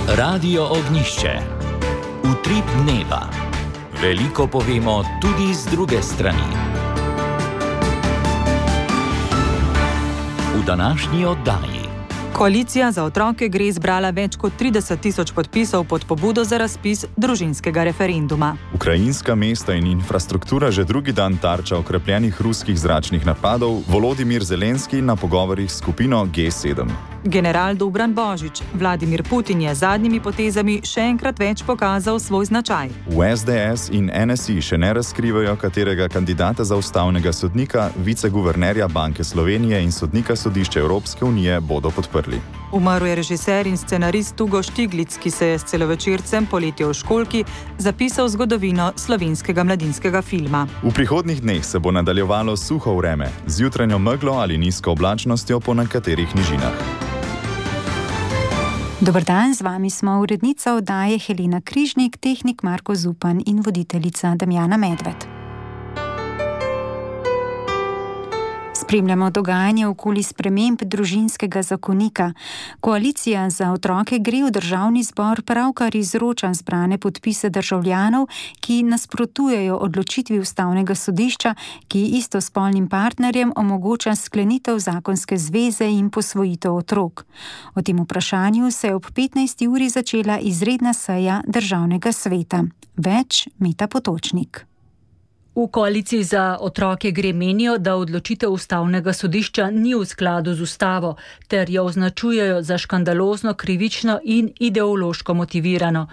Radio Ognišče. Utrip dneva. Veliko povemo tudi z druge strani. V današnji oddaji. Koalicija za otroke gre zbrala več kot 30.000 podpisov pod pobudo za razpis družinskega referenduma. Ukrajinska mesta in infrastruktura že drugi dan tarča okrepljenih ruskih zračnih napadov, Volodimir Zelenski na pogovorih s skupino G7. General Dobran Božič, Vladimir Putin je z zadnjimi potezami še enkrat več pokazal svoj značaj. V SDS in NSI še ne razkrivajo, katerega kandidata za ustavnega sodnika, viceguvernerja Banke Slovenije in sodnika Sodišča Evropske unije bodo podprli. Umrl je režiser in scenarist Hugo Stiglitz, ki se je s celovečercem Poletje v školjki zapisal zgodovino slovenskega mladinskega filma. V prihodnjih dneh se bo nadaljevalo suho vreme, z jutranjo meglo ali nizko oblačnostjo po nekaterih nižinah. Dober dan, z vami smo urednica oddaje Helena Križnik, tehnik Marko Zupan in voditeljica Damjana Medved. Spremljamo dogajanje okoli sprememb družinskega zakonika. Koalicija za otroke gre v državni zbor pravkar izroča zbrane podpise državljanov, ki nasprotujejo odločitvi ustavnega sodišča, ki istospolnim partnerjem omogoča sklenitev zakonske zveze in posvojitev otrok. O tem vprašanju se je ob 15. uri začela izredna seja državnega sveta. Več Meta Potočnik. V koaliciji za otroke gre menijo, da odločitev ustavnega sodišča ni v skladu z ustavo, ter jo označujejo za škandalozno, krivično in ideološko motivirano.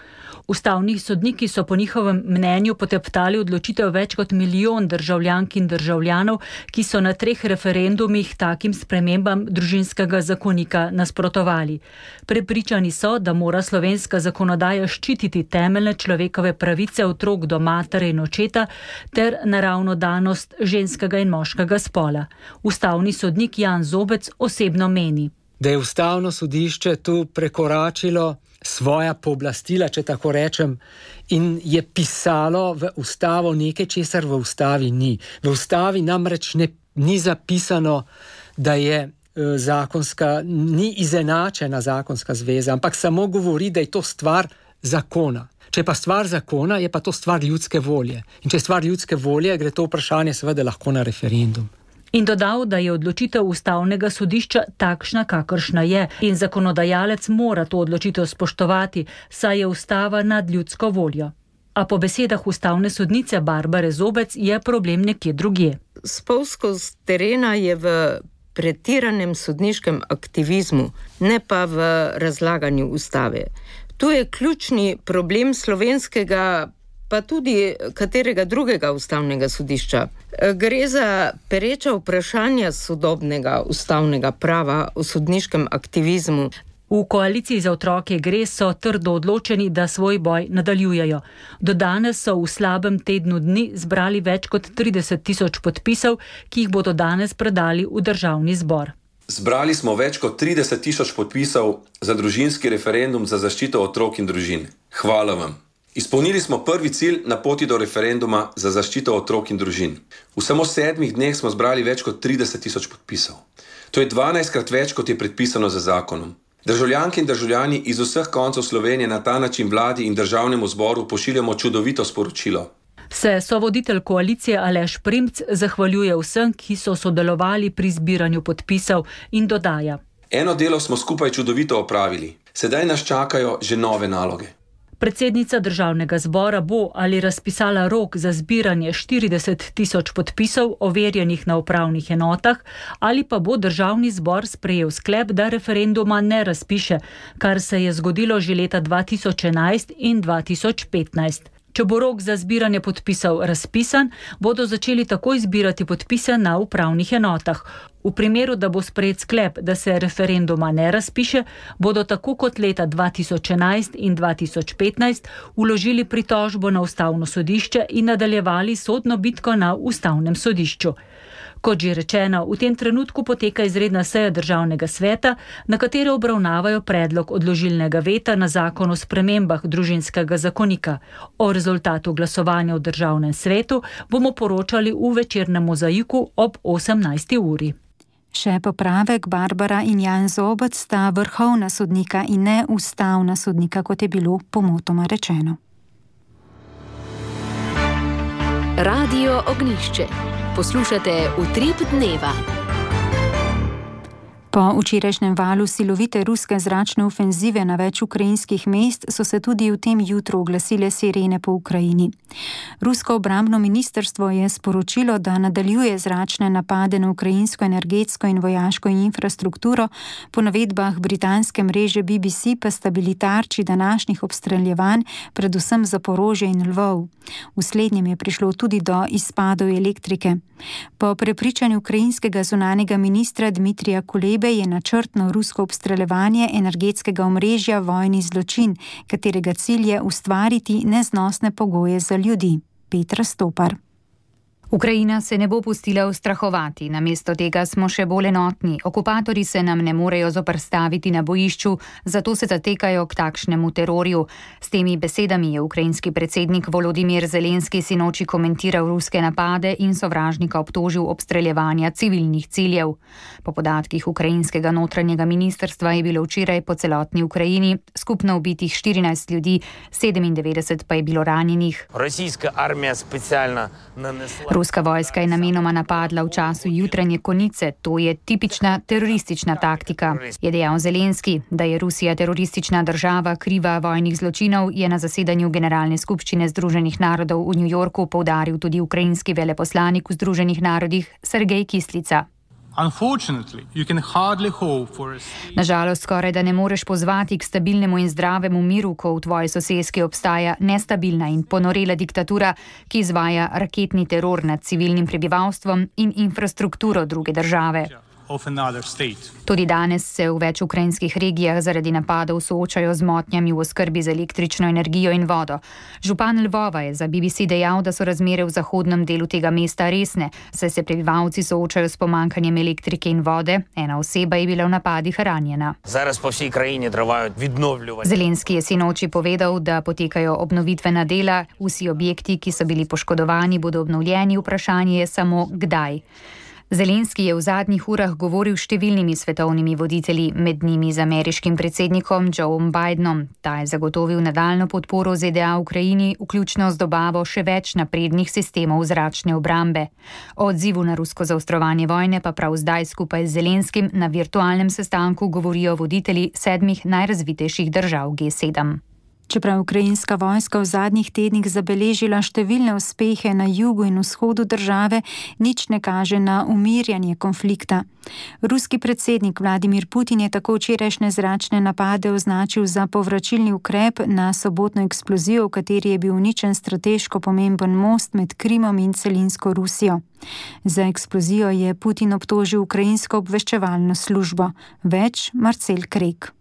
Ustavni sodniki so po njihovem mnenju poteptali odločitev več kot milijon državljank in državljanov, ki so na 3 referendumih takim spremembam družinskega zakonika nasprotovali. Prepričani so, da mora slovenska zakonodaja ščititi temeljne človekove pravice otrok do matere in očeta ter naravno danost ženskega in moškega spola. Ustavni sodnik Jan Zobec osebno meni, da je ustavno sodišče tu prekoračilo svoja pooblastila, če tako rečem, in je pisalo v ustavo nekaj, česar v ustavi ni. V ustavi namreč ni zapisano, da je ni izenačena zakonska zveza, ampak samo govori, da je to stvar zakona. Če je pa stvar zakona, je pa to stvar ljudske volje. In če je stvar ljudske volje, gre to vprašanje seveda lahko na referendum. In dodal, da je odločitev ustavnega sodišča takšna, kakršna je, in zakonodajalec mora to odločitev spoštovati, saj je ustava nad ljudsko voljo. A po besedah ustavne sodnice Barbare Zobec je problem nekje drugje. Spolzkost terena je v pretiranem sodniškem aktivizmu, ne pa v razlaganju ustave. Tu je ključni problem slovenskega, pa tudi katerega drugega ustavnega sodišča. Gre za pereča vprašanja sodobnega ustavnega prava o sodniškem aktivizmu. V koaliciji za otroke gre so trdo odločeni, da svoj boj nadaljujejo. Do danes so v slabem tednu dni zbrali več kot 30.000 podpisov, ki jih bodo danes predali v državni zbor. Zbrali smo več kot 30.000 podpisov za družinski referendum za zaščito otrok in družin. Hvala vam. Izpolnili smo prvi cilj na poti do referenduma za zaščito otrok in družin. V samo 7 dneh smo zbrali več kot 30.000 podpisov. To je 12-krat več, kot je predpisano za zakonom. Državljanke in državljani iz vseh koncev Slovenije na ta način vladi in državnemu zboru pošiljamo čudovito sporočilo. Se sovoditelj koalicije Aleš Primc zahvaljuje vsem, ki so sodelovali pri zbiranju podpisov in dodaja. Eno delo smo skupaj čudovito opravili. Sedaj nas čakajo že nove naloge. Predsednica državnega zbora bo ali razpisala rok za zbiranje 40.000 podpisov overjenih na upravnih enotah, ali pa bo državni zbor sprejel sklep, da referenduma ne razpiše, kar se je zgodilo že leta 2011 in 2015. Če bo rok za zbiranje podpisov razpisan, bodo začeli takoj zbirati podpise na upravnih enotah. V primeru, da bo sprejet sklep, da se referenduma ne razpiše, bodo tako kot leta 2011 in 2015 vložili pritožbo na ustavno sodišče in nadaljevali sodno bitko na ustavnem sodišču. Kot že rečeno, v tem trenutku poteka izredna seja državnega sveta, na kateri obravnavajo predlog odložilnega veta na zakon o spremembah družinskega zakonika. O rezultatu glasovanja v državnem svetu bomo poročali v večernem mozaiku ob 18. uri. Še popravek, Barbara in Jan Zobec sta vrhovna sodnika in ne ustavna sodnika, kot je bilo pomotoma rečeno. Radio Ognjišče. Poslušate Utrip dneva. Po včerajšnjem valu silovite ruske zračne ofenzive na več ukrajinskih mest so se tudi v tem jutru oglasile sirene po Ukrajini. Rusko obrambno ministrstvo je sporočilo, da nadaljuje zračne napade na ukrajinsko energetsko in vojaško infrastrukturo, po navedbah britanske mreže BBC pa sta bili tarči današnjih obstreljevanj, predvsem Zaporožje in Lvov. V slednjem je prišlo tudi do izpadov elektrike. Po prepričanju ukrajinskega zunanjega ministra Dmitrija Kulebe je načrtno rusko obstreljevanje energetskega omrežja vojni zločin, katerega cilj je ustvariti neznosne pogoje za ljudi. Petra Stopar. Ukrajina se ne bo pustila ustrahovati, namesto tega smo še bolj enotni. Okupatorji se nam ne morejo zoperstaviti na bojišču, zato se zatekajo k takšnemu terorju. S temi besedami je ukrajinski predsednik Volodimir Zelenski sinoči komentiral ruske napade in sovražnika obtožil obstreljevanja civilnih ciljev. Po podatkih ukrajinskega notranjega ministrstva je bilo včeraj po celotni Ukrajini skupno ubitih 14 ljudi, 97 pa je bilo ranjenih. Ruska vojska je namenoma napadla v času jutranje konice, to je tipična teroristična taktika, je dejal Zelenski. Da je Rusija teroristična država kriva vojnih zločinov, je na zasedanju Generalne skupščine Združenih narodov v New Yorku poudaril tudi ukrajinski veleposlanik v Združenih narodih Sergej Kislica. Nažalost, skoraj da ne moreš pozvati k stabilnemu in zdravemu miru, ko v tvoji soseski obstaja nestabilna in ponorela diktatura, ki izvaja raketni teror nad civilnim prebivalstvom in infrastrukturo druge države. Tudi danes se v več ukrajinskih regijah zaradi napadov soočajo z motnjami v oskrbi z električno energijo in vodo. Župan Lvova je za BBC dejal, da so razmere v zahodnem delu tega mesta resne, saj se prebivalci soočajo s pomankanjem elektrike in vode. Ena oseba je bila v napadih ranjena. Zelenski je sinoči povedal, da potekajo obnovitvena dela, vsi objekti, ki so bili poškodovani, bodo obnovljeni, vprašanje je samo kdaj. Zelenski je v zadnjih urah govoril s številnimi svetovnimi voditelji, med njimi z ameriškim predsednikom Joeom Bidenom. Ta je zagotovil nadaljno podporo ZDA Ukrajini, vključno z dobavo še več naprednih sistemov zračne obrambe. O odzivu na rusko zaostrovanje vojne pa prav zdaj skupaj z Zelenskim na virtualnem sestanku govorijo voditelji 7 najrazvitejših držav G7. Čeprav ukrajinska vojska v zadnjih tednih zabeležila številne uspehe na jugu in vzhodu države, nič ne kaže na umirjanje konflikta. Ruski predsednik Vladimir Putin je tako včerajšnje zračne napade označil za povračilni ukrep na sobotno eksplozijo, v kateri je bil uničen strateško pomemben most med Krimom in celinsko Rusijo. Za eksplozijo je Putin obtožil ukrajinsko obveščevalno službo. Več Marcel Krek.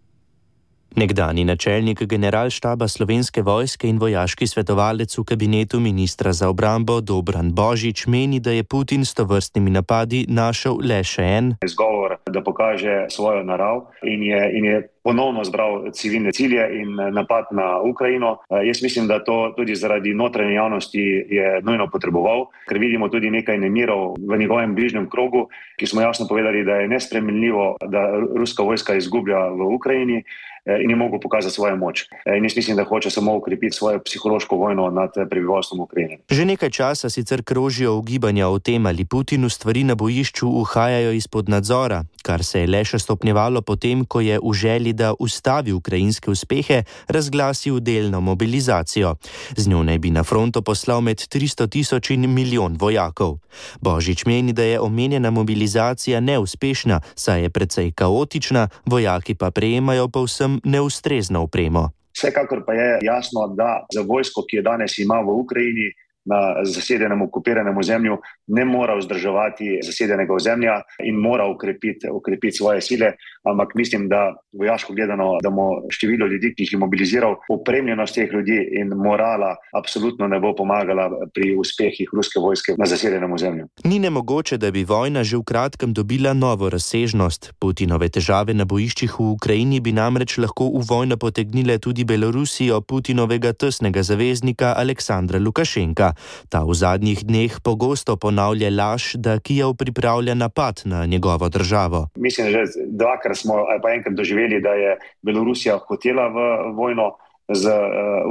Nekdanji načelnik generalštaba Slovenske vojske in vojaški svetovalec v kabinetu ministra za obrambo Dobran Božič meni, da je Putin s tovrstnimi napadi našel le še en izgovor, da pokaže svojo narav in je ponovno zbral civilne cilje in napad na Ukrajino. Jaz mislim, da to tudi zaradi notranje javnosti je nujno potreboval, ker vidimo tudi nekaj nemirov v njegovem bližnjem krogu, ki smo jasno povedali, da je nesprejemljivo, da ruska vojska izgublja v Ukrajini in je mogel pokazati svojo moč. In jaz mislim, da hoče samo ukrepiti svojo psihološko vojno nad prebivalstvom Ukrajine. Že nekaj časa sicer krožijo ugibanja o tem, ali Putinu stvari na bojišču uhajajo izpod nadzora, kar se je le še stopnjevalo potem, ko je v želji, da ustavi ukrajinske uspehe, razglasil delno mobilizacijo. Z njo naj bi na fronto poslal med 300.000 in milijon vojakov. Božič meni, da je omenjena mobilizacija neuspešna, saj je precej kaotična, vojaki pa prejemajo povsem neustrezno opremo. Vsekakor pa je jasno, da za vojsko, ki je danes ima v Ukrajini, na zasedenem okupiranem ozemlju, ne mora vzdrževati zasedenega ozemlja in mora ukrepiti svoje sile, ampak mislim, da vojaško gledano, da mu število ljudi, ki jih je mobiliziral, opremljenost teh ljudi in morala absolutno ne bo pomagala pri uspehih ruske vojske na zasedenem ozemlju. Ni nemogoče, da bi vojna že v kratkem dobila novo razsežnost. Putinove težave na bojiščih v Ukrajini bi namreč lahko v vojno potegnile tudi Belorusijo, Putinovega tesnega zaveznika Aleksandra Lukašenka. sodnika. Ta v zadnjih dneh pogosto ponavlja laž, da Kijev pripravlja napad na njegovo državo. Mislim, že dvakrat smo ali pa enkrat doživeli, da je Belorusija hotela v vojno z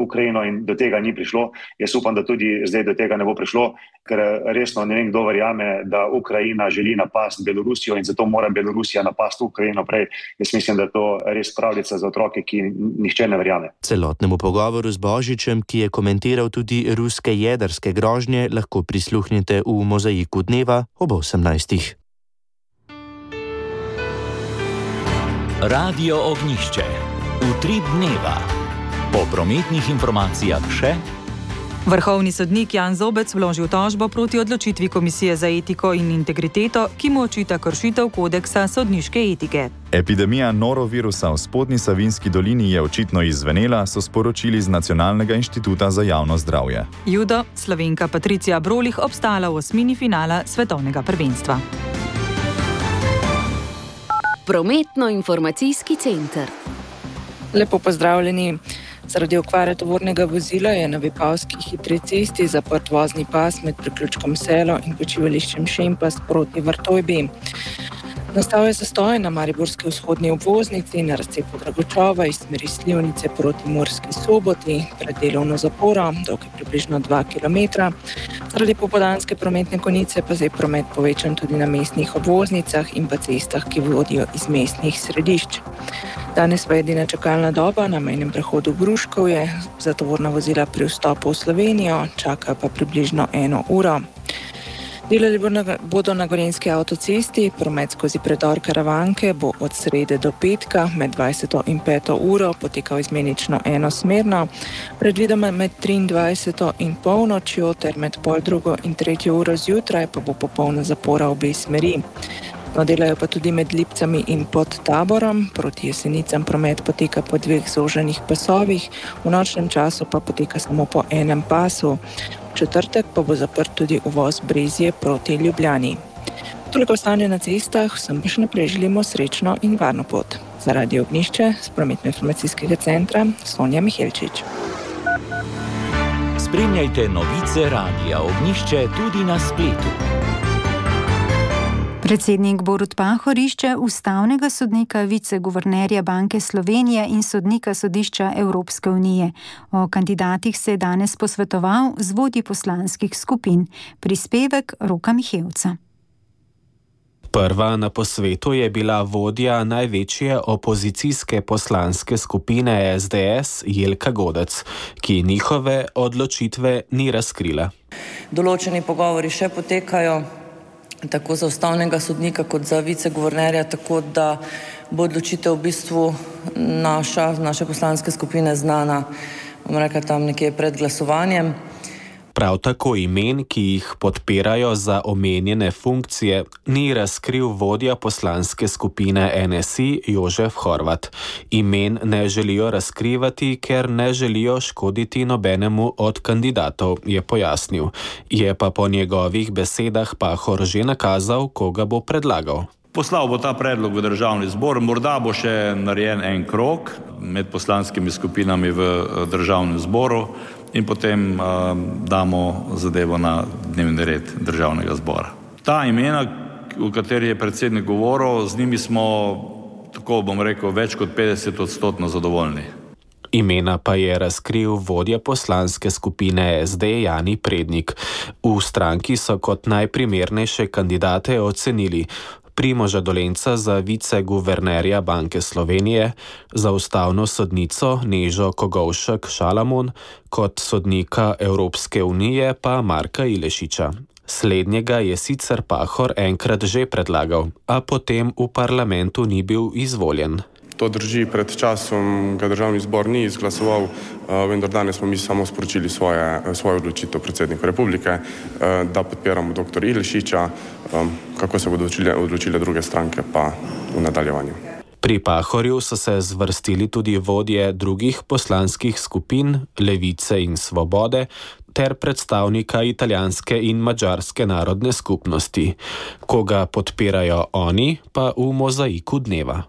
Ukrajino in do tega ni prišlo. Jaz upam, da tudi zdaj do tega ne bo prišlo, ker resno ne vem, kdo verjame, da Ukrajina želi napasti Belorusijo in zato mora Belorusija napasti Ukrajino prej. Jaz mislim, da je to res pravljica za otroke, ki nihče ne verjame. Celotnemu pogovoru z Božičem, ki je komentiral tudi ruske jedrske grožnje, lahko prisluhnite v Mozaiku dneva ob 18. Radio Ognjišče. Utrip dneva. Po prometnih informacijah še. Vrhovni sodnik Jan Zobec vložil tožbo proti odločitvi Komisije za etiko in integriteto, ki mu očita kršitev kodeksa sodniške etike. Epidemija norovirusa v Spodnji Savinjski dolini je očitno izzvenela, so sporočili z Nacionalnega inštituta za javno zdravje. Judo, Slovenka Patricija Brolih obstala v osmini finala svetovnega prvenstva. Prometno-informacijski center. Lepo pozdravljeni. Zaradi okvare tovornega vozila je na Vipavski hitri cesti zaprt vozni pas med priključkom Selo in počivališčem Šempas proti Vrtojbi. Nastal je zastoj na mariborski vzhodni obvoznici na razcepu Dragočova iz smeri Slivnice proti Murski Soboti pred delovno zaporo, dolg je približno 2 km. Zaradi popoldanske prometne konice pa je promet povečan tudi na mestnih obvoznicah in pa cestah, ki vodijo iz mestnih središč. Danes pa je edina čakalna doba na mejnem prehodu Gruškovje za tovorna vozila pri vstopu v Slovenijo, čaka pa približno 1 uro. Delali bodo na Gorenjski avtocesti, promet skozi predor Karavanke bo od srede do petka med 20. in 5. uro potekal izmenično enosmerno, predvidoma med 23. in polnočjo ter med 2:30 in 3. uro zjutraj pa bo popolna zapora obe smeri. No, delajo pa tudi med Lipcami in pod Taborom, proti Jesenicam promet poteka po 2 zoženih pasovih, v nočnem času pa poteka samo po enem pasu. V četrtek pa bo zaprt tudi uvoz Brezje proti Ljubljani. Toliko stanje na cestah, vsem pa še naprej želimo srečno in varno pot. Za Radio Ognjišče z Prometno-informacijskega centra Sonja Mihelčič. Spremljajte novice Radia Ognjišče tudi na spletu. Predsednik Borut Pahor išče ustavnega sodnika, viceguvernerja Banke Slovenije in sodnika Sodišča Evropske unije. O kandidatih se je danes posvetoval z vodji poslanskih skupin. Prispevek Roka Mihevca. Prva na posvetu je bila vodja največje opozicijske poslanske skupine SDS Jelka Godec, ki njihove odločitve ni razkrila. Določeni pogovori še potekajo, tako za ustavnega sodnika kot za viceguvernerja, tako da bo odločitev v bistvu naše poslanske skupine znana, bom rekla, tam nekje pred glasovanjem. Prav tako imen, ki jih podpirajo za omenjene funkcije, ni razkril vodja poslanske skupine NSI Jožef Horvat. Imen ne želijo razkrivati, ker ne želijo škoditi nobenemu od kandidatov, je pojasnil. Je pa po njegovih besedah Pahor že nakazal, koga bo predlagal. Poslal bo ta predlog v državni zbor, morda bo še narejen en krog med poslanskimi skupinami v državnem zboru in potem damo zadevo na dnevni red državnega zbora. Ta imena, o kateri je predsednik govoril, z njimi smo, tako bom rekel, več kot 50% zadovoljni. Imena pa je razkril vodja poslanske skupine SD Jani Prednik. V stranki so kot najprimernejše kandidate ocenili Primoža Dolenca za viceguvernerja Banke Slovenije, za ustavno sodnico Nežo Kogovšek Šalamun, kot sodnika Evropske unije pa Marka Ilešiča. Slednjega je sicer Pahor enkrat že predlagal, a potem v parlamentu ni bil izvoljen. To drži, pred časom ga državni zbor ni izglasoval, vendar danes smo mi samo sporočili svojo odločitev predsedniku republike, da podpiramo dr. Ilešiča, kako se bodo odločile druge stranke pa v nadaljevanju. Pri Pahorju so se zvrstili tudi vodje drugih poslanskih skupin, Levice in Svobode, ter predstavnika italijanske in madžarske narodne skupnosti. Koga podpirajo oni, pa v mozaiku dneva.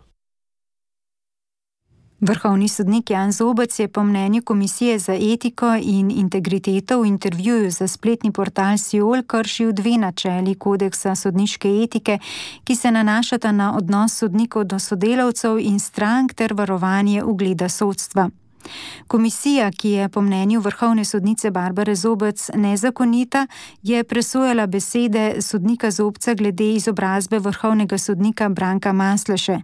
Vrhovni sodnik Jan Zobec je po mnenju Komisije za etiko in integriteto v intervjuju za spletni portal Siol kršil 2 načeli kodeksa sodniške etike, ki se nanašata na odnos sodnikov do sodelavcev in strank ter varovanje ugleda sodstva. Komisija, ki je po mnenju vrhovne sodnice Barbare Zobec nezakonita, je presojala besede sodnika Zobca glede izobrazbe vrhovnega sodnika Branka Masleše.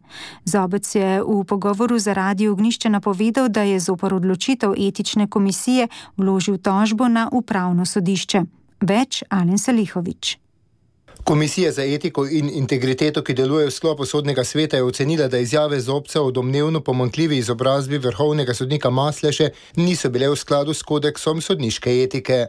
Zobec je v pogovoru za Radio Ognjišče napovedal, da je zoper odločitev etične komisije vložil tožbo na upravno sodišče. Več Alen Salihović. Komisija za etiko in integriteto, ki deluje v sklopu sodnega sveta, je ocenila, da izjave Zobca o domnevno pomanjkljivi izobrazbi vrhovnega sodnika Masleše niso bile v skladu s kodeksom sodniške etike.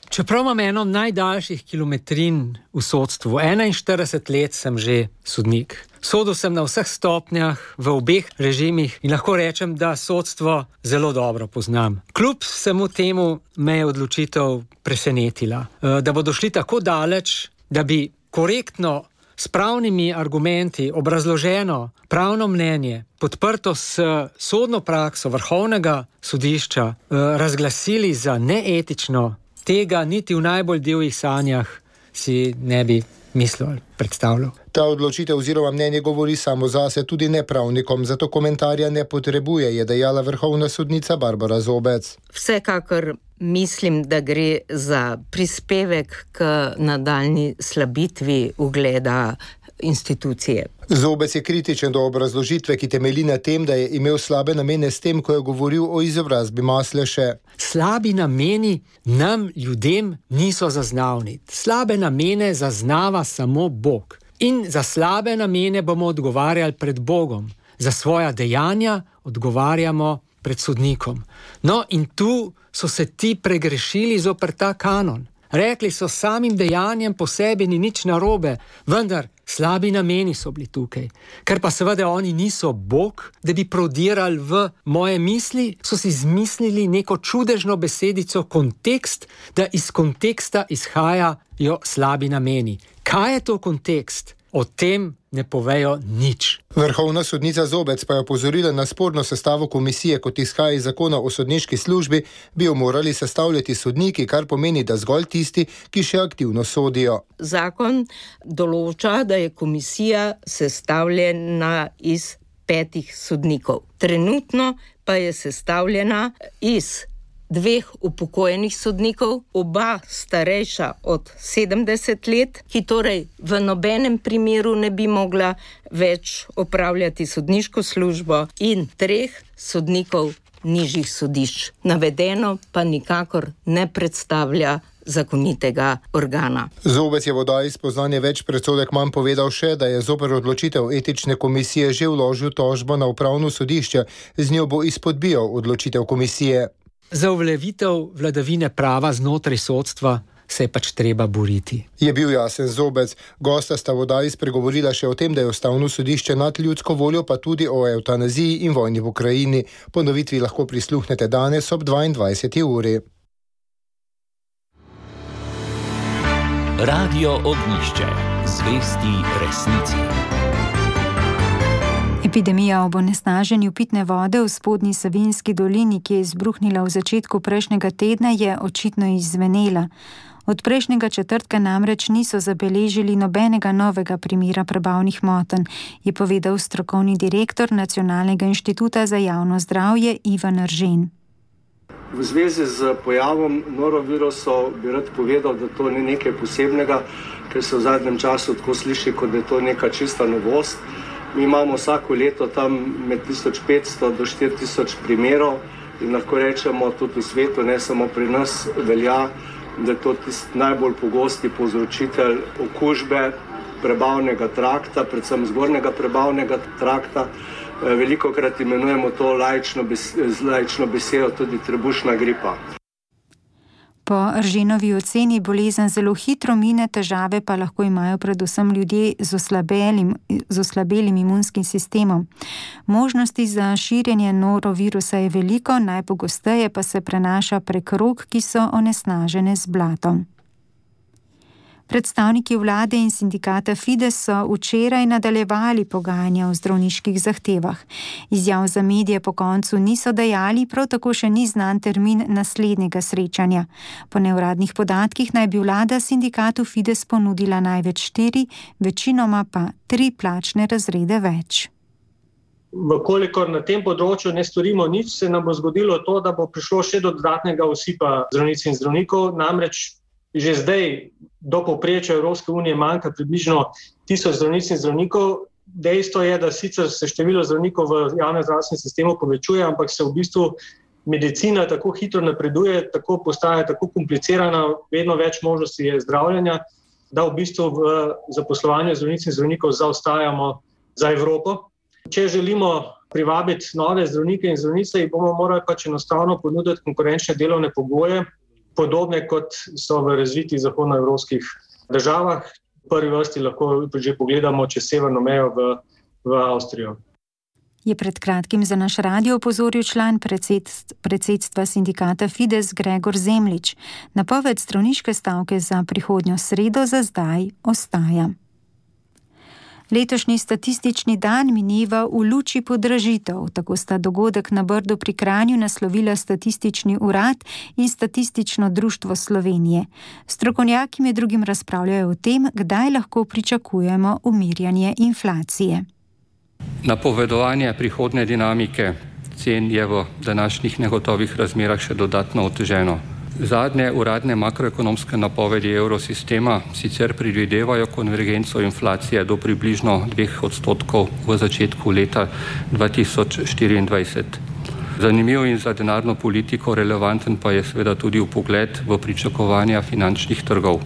Čeprav imam eno najdaljših kilometrin v sodstvu, 41 let sem že sodnik. Sodil sem na vseh stopnjah, v obeh režimih in lahko rečem, da sodstvo zelo dobro poznam. Kljub vsemu temu me je odločitev presenetila, da bodo šli tako daleč, da bi korektno, s pravnimi argumenti, obrazloženo pravno mnenje, podprto s sodno prakso vrhovnega sodišča, razglasili za neetično, tega niti v najbolj divjih sanjah si ne bi mislil ali predstavljal. Ta odločitev oziroma mnenje govori samo zase, tudi nepravnikom, zato komentarja ne potrebuje, je dejala vrhovna sodnica Barbara Zobec. Vsekakor mislim, da gre za prispevek k nadaljnji slabitvi ugleda institucije. Zobec je kritičen do obrazložitve, ki temelji na tem, da je imel slabe namene s tem, ko je govoril o izobrazbi Masleše. Slabi nameni nam, ljudem, niso zaznavni. Slabe namene zaznava samo Bog. In za slabe namene bomo odgovarjali pred Bogom. Za svoja dejanja odgovarjamo pred sodnikom. No, in tu so se ti pregrešili zoper ta kanon. Rekli so, samim dejanjem po sebi ni nič narobe, vendar slabi nameni so bili tukaj. Ker pa seveda oni niso Bog, da bi prodirali v moje misli, so si izmislili neko čudežno besedico kontekst, da iz konteksta izhajajo slabi nameni. Kaj je to kontekst? O tem ne povejo nič. Vrhovna sodnica Zobec pa je opozorila na sporno sestavo komisije, kot izhaja iz zakona o sodniški službi, bi jo morali sestavljati sodniki, kar pomeni, da zgolj tisti, ki še aktivno sodijo. Zakon določa, da je komisija sestavljena iz 5 sodnikov. Trenutno pa je sestavljena iz 2 upokojenih sodnikov, oba starejša od 70 let, ki torej v nobenem primeru ne bi mogla več opravljati sodniško službo, in 3 sodnikov nižjih sodišč. Navedeno pa nikakor ne predstavlja zakonitega organa. Zobec je v oddaji Spoznanje več predsodek manj povedal še, da je zoper odločitev etične komisije že vložil tožbo na upravno sodišče, z njo bo izpodbijal odločitev komisije. Za uveljavitev vladavine prava znotraj sodstva se je pač treba boriti. Je bil jasen Zobec. Gosta sta v oddaji spregovorila še o tem, da je ustavno sodišče nad ljudsko voljo, pa tudi o evtanaziji in vojni v Ukrajini. Ponovitvi lahko prisluhnete danes ob 22. uri. Radio Ognjišče. Zvesti resnici. Epidemija ob onesnaženju pitne vode v spodnji Savinjski dolini, ki je izbruhnila v začetku prejšnjega tedna, je očitno izzvenela. Od prejšnjega četrtka namreč niso zabeležili nobenega novega primera prebavnih motenj, je povedal strokovni direktor Nacionalnega inštituta za javno zdravje Ivan Eržen. V zvezi z pojavom norovirusov bi rad povedal, da to ni nekaj posebnega, ker se v zadnjem času tako sliši, kot da je to neka čista novost. Mi imamo vsako leto tam med 1500 do 4000 primerov in lahko rečemo tudi v svetu, ne samo pri nas, velja, da je to tisti najbolj pogosti povzročitelj okužbe prebavnega trakta, predvsem zgornjega prebavnega trakta. Velikokrat imenujemo to laično besedo tudi trebušna gripa. Po Erženovi oceni bolezen zelo hitro mine, težave pa lahko imajo predvsem ljudje z oslabelim imunskim sistemom. Možnosti za širjenje norovirusa je veliko, najpogosteje pa se prenaša prek rok, ki so onesnažene z blatom. Predstavniki vlade in sindikata Fides so včeraj nadaljevali pogajanja o zdravniških zahtevah. Izjav za medije po koncu niso dajali, prav tako še ni znan termin naslednjega srečanja. Po neuradnih podatkih naj bi vlada sindikatu Fides ponudila največ 4, večinoma pa 3 plačne razrede več. Vkolikor na tem področju ne storimo nič, se nam bo zgodilo to, da bo prišlo še do dodatnega osipa zdravnic in zdravnikov. Namreč že zdaj do povprečja Evropske unije manjka približno 1000 zdravnic in zdravnikov. Dejstvo je, da sicer se število zdravnikov v javnem zdravstvenem sistemu povečuje, ampak se v bistvu medicina tako hitro napreduje, tako postaja tako komplicirana, vedno več možnosti je zdravljenja, da v bistvu v zaposlovanju zdravnic in zdravnikov zaostajamo za Evropo. Če želimo privabiti nove zdravnike in zdravnice, jih bomo morali pač enostavno ponuditi konkurenčne delovne pogoje, podobne kot so v razvitih zahodnoevropskih državah. V prvi vrsti lahko že pogledamo čez severno mejo v Avstrijo. Je pred kratkim za naš radio opozoril član predsedstva sindikata Fides Gregor Zemljič. Napoved zdravniške stavke za prihodnjo sredo za zdaj ostaja. Letošnji statistični dan mineva v luči podražitev. Tako sta dogodek na Brdu pri Kranju naslovila Statistični urad in Statistično društvo Slovenije. Strokovnjaki med drugim razpravljajo o tem, kdaj lahko pričakujemo umirjanje inflacije. Napovedovanje prihodnje dinamike cen je v današnjih negotovih razmerah še dodatno oteženo. Zadnje uradne makroekonomske napovedi evrosistema sicer predvidevajo konvergenco inflacije do približno 2% v začetku leta 2024. Zanimiv in za denarno politiko relevanten pa je seveda tudi vpogled v pričakovanja finančnih trgov.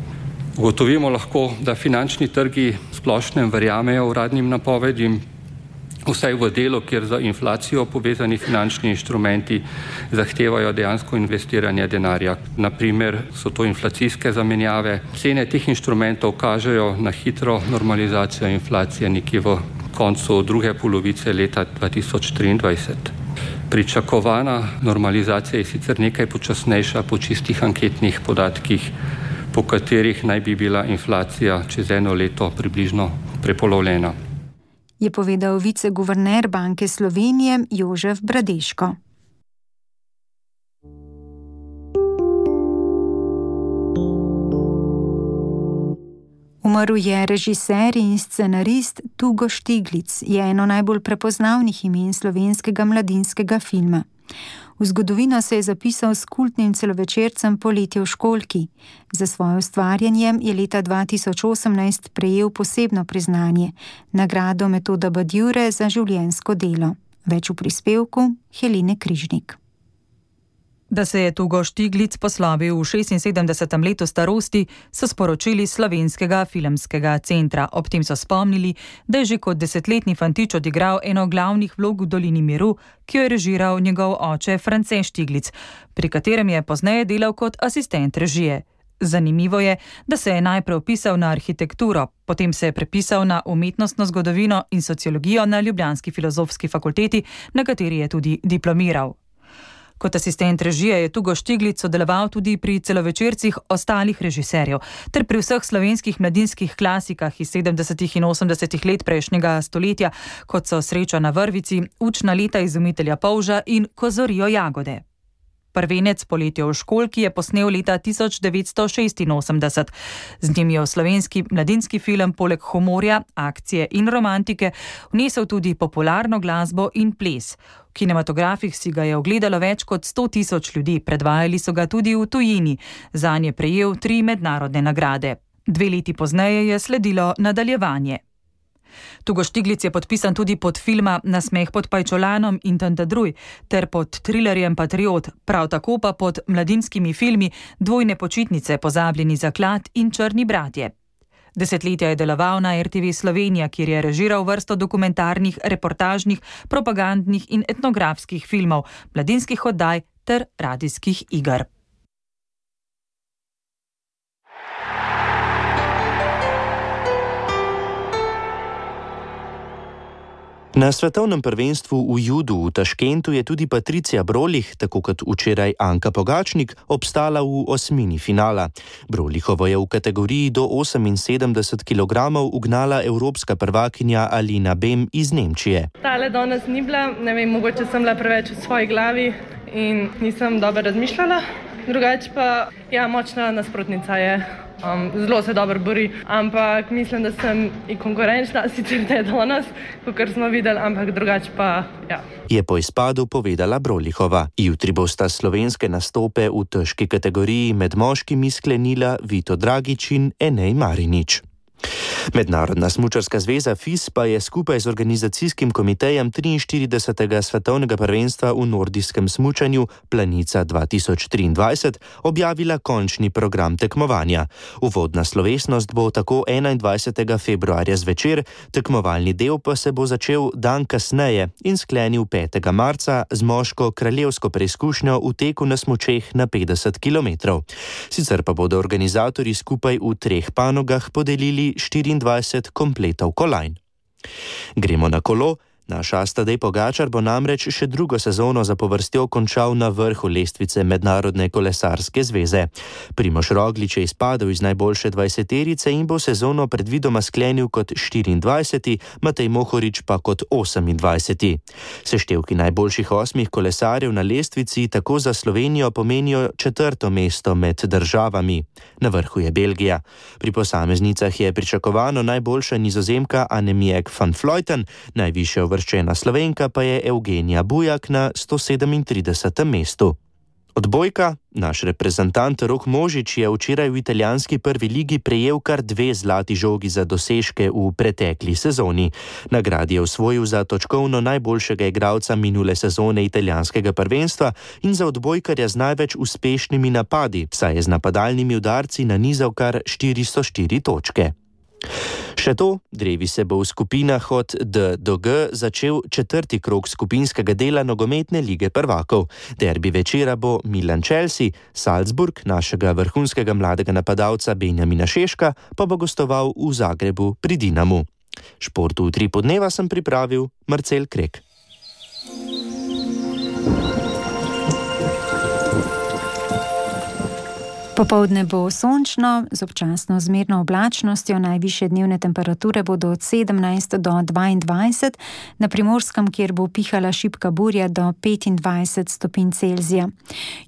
Ugotovimo lahko, da finančni trgi splošnem verjamejo uradnim napovedim, vsaj v delu, kjer za inflacijo povezani finančni inštrumenti zahtevajo dejansko investiranje denarja. Naprimer so to inflacijske zamenjave. Cene teh inštrumentov kažejo na hitro normalizacijo inflacije nekje v koncu druge polovice leta 2023. Pričakovana normalizacija je sicer nekaj počasnejša po čistih anketnih podatkih, po katerih naj bi bila inflacija čez 1 leto približno prepolovljena. Je povedal viceguverner Banke Slovenije Jožef Bradeško. Umrl je režiser in scenarist Tugo Štiglic, je eno najbolj prepoznavnih imen slovenskega mladinskega filma. V zgodovino se je zapisal s kultnim celovečercem Poletje v školjki. Za svoje ustvarjanje je leta 2018 prejel posebno priznanje, nagrado Metoda Badiure za življenjsko delo. Več v prispevku Helene Križnik. Da se je Tugo Štiglic poslovil v 76. letu starosti, so sporočili Slovenskega filmskega centra. Ob tem so spomnili, da je že kot 10-letni fantič odigral eno glavnih vlog v Dolini miru, ki jo je režiral njegov oče France Štiglic, pri katerem je pozneje delal kot asistent režije. Zanimivo je, da se je najprej vpisal na arhitekturo, potem se je prepisal na umetnostno zgodovino in sociologijo na Ljubljanski filozofski fakulteti, na kateri je tudi diplomiral. Kot asistent režije je Tugo Štiglic sodeloval tudi pri celovečercih ostalih režiserjev ter pri vseh slovenskih mladinskih klasikah iz 70. in 80. let prejšnjega stoletja, kot so Sreča na vrvici, Učna leta izumitelja polža in Ko zorijo jagode. Prvenec Poletje v školjki je posnel leta 1986. Z njim je v slovenski mladinski film poleg humorja, akcije in romantike vnesel tudi popularno glasbo in ples. V kinematografih si ga je ogledalo več kot 100 000 ljudi, predvajali so ga tudi v tujini. Zanj je prejel 3 mednarodne nagrade. 2 leti pozneje je sledilo nadaljevanje. Tugo Štiglic je podpisan tudi pod filma Nasmeh pod pajčolanom in Tantadruj ter pod trilerjem Patriot, prav tako pa pod mladinskimi filmi Dvojne počitnice, Pozabljeni zaklad in Črni bratje. Desetletja je deloval na RTV Slovenija, kjer je režiral vrsto dokumentarnih, reportažnih, propagandnih in etnografskih filmov, mladinskih oddaj ter radijskih iger. Na svetovnem prvenstvu v judu v Taškentu je tudi Patricija Brolih, tako kot včeraj Anka Pogačnik, obstala v osmini finala. Brolihovo je v kategoriji do 78 kg ugnala evropska prvakinja Alina Bem iz Nemčije. Tale danes ni bila, ne vem, mogoče sem bila preveč v svoji glavi in nisem dobro razmišljala. Drugače pa, ja, močna nasprotnica je. Zelo se dobro bori, ampak mislim, da sem i konkurenčna, sicer ne danes, kot smo videli, ampak drugače pa, ja. Je po izpadu povedala Brolihova. Jutri bosta slovenske nastope v težki kategoriji med moškimi sklenila Vito Dragič in Enej Marinič. Mednarodna smučarska zveza FIS pa je skupaj z organizacijskim komitejem 43. svetovnega prvenstva v nordijskem smučanju Planica 2023 objavila končni program tekmovanja. Uvodna slovesnost bo tako 21. februarja zvečer, tekmovalni del pa se bo začel dan kasneje in sklenil 5. marca z moško kraljevsko preizkušnjo v teku na smučeh na 50 km. Sicer pa bodo organizatorji skupaj v 3 panogah podelili 24 kompletov kolajn. Gremo na kolo. Naš Tadej Pogačar bo namreč še drugo sezono zapovrstjo končal na vrhu lestvice Mednarodne kolesarske zveze. Primož Roglič je izpadel iz najboljše 20-terice in bo sezono predvidoma sklenil kot 24, Matej Mohorič pa kot 28. Seštevki najboljših 8 kolesarjev na lestvici tako za Slovenijo pomenijo 4. mesto med državami. Na vrhu je Belgija. Pri posameznicah je pričakovano najboljša Nizozemka Annemiek van Vleuten, najvišja uvrščena Slovenka pa je Evgenija Bujak na 137. mestu. Odbojka, naš reprezentant Rok Možič je včeraj v italijanski prvi ligi prejel kar 2 zlati žogi za dosežke v pretekli sezoni. Nagradi je osvojil za točkovno najboljšega igralca minule sezone italijanskega prvenstva in za odbojkarja z največ uspešnimi napadi, saj je z napadalnimi udarci nanizal kar 404 točke. Še to, drevi se bo v skupinah od D do G začel 4. krog skupinskega dela nogometne lige prvakov. Derbi večera bo Milan-Chelsea, Salzburg, našega vrhunskega mladega napadalca Benjamina Šeška, pa bo gostoval v Zagrebu pri Dinamu. Športu v 3 podneva sem pripravil Marcel Krek. Popoldne bo sončno, z občasno zmerno oblačnostjo, najvišje dnevne temperature bodo od 17 do 22, na Primorskem, kjer bo pihala šibka burja, do 25 stopinj Celzija.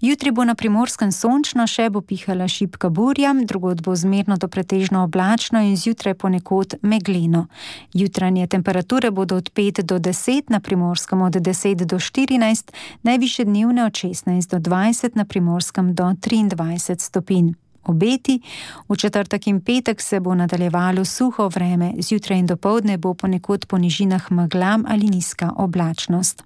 Jutri bo na Primorskem sončno, še bo pihala šibka burja, drugod bo zmerno do pretežno oblačno in zjutraj ponekod megleno. Jutranje temperature bodo od 5 do 10, na Primorskem od 10 do 14, najvišje dnevne od 16 do 20, na Primorskem do 23 stopinj. Obeti, v četrtek in petek se bo nadaljevalo suho vreme, zjutraj in dopoldne bo ponekod po nižinah megla ali nizka oblačnost.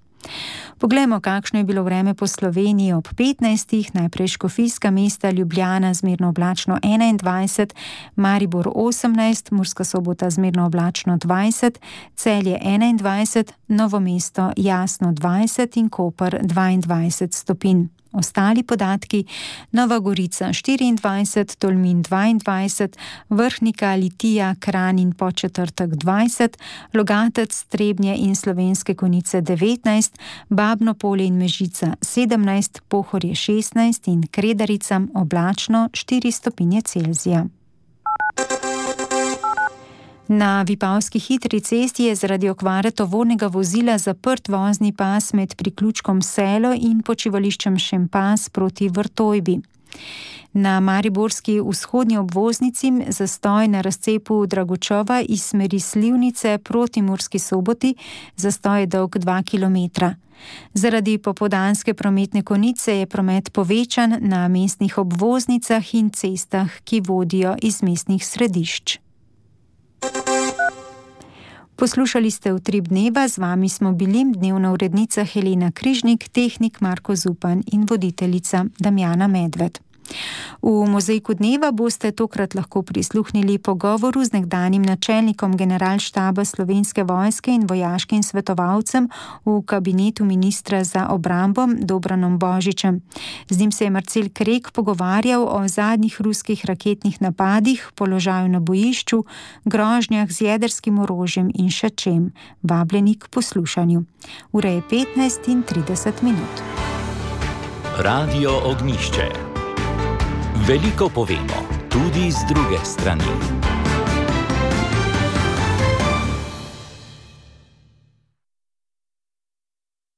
Poglejmo, kakšno je bilo vreme po Sloveniji ob 15. Najprej Škofijska mesta, Ljubljana zmerno oblačno 21, Maribor 18, Murska Sobota zmerno oblačno 20, Celje 21, Novo mesto jasno 20 in Koper 22 stopinj. Ostali podatki: Nova Gorica 24, Tolmin 22, Vrhnika, Litija, Kranj in Podčetrtek 20, Logatec, Trebnje in Slovenske Konjice 19, Babno Polje in Mežica 17, Pohorje 16 in Kredarica oblačno 4 stopinje Celzija. Na Vipavski hitri cesti je zaradi okvare tovornega vozila zaprt vozni pas med priključkom Selo in počivališčem Šempas proti Vrtojbi. Na mariborski vzhodni obvoznici zastoj na razcepu Dragočova iz smeri Slivnice proti Murski Soboti, zastoj je dolg 2 km. Zaradi popoldanske prometne konice je promet povečan na mestnih obvoznicah in cestah, ki vodijo iz mestnih središč. Poslušali ste Utrip dneva, z vami smo bili dnevna urednica Helena Križnik, tehnik Marko Zupan in voditeljica Damjana Medved. V mozaiku dneva boste tokrat lahko prisluhnili pogovoru z nekdanjim načelnikom generalštaba Slovenske vojske in vojaškim svetovalcem v kabinetu ministra za obrambo Dobranom Božičem. Z njim se je Marcel Krek pogovarjal o zadnjih ruskih raketnih napadih, položaju na bojišču, grožnjah z jedrskim orožjem in še čem. Vabljeni k poslušanju. Ura je 15:30. Radio Ognišče. Veliko povemo, tudi z druge strani.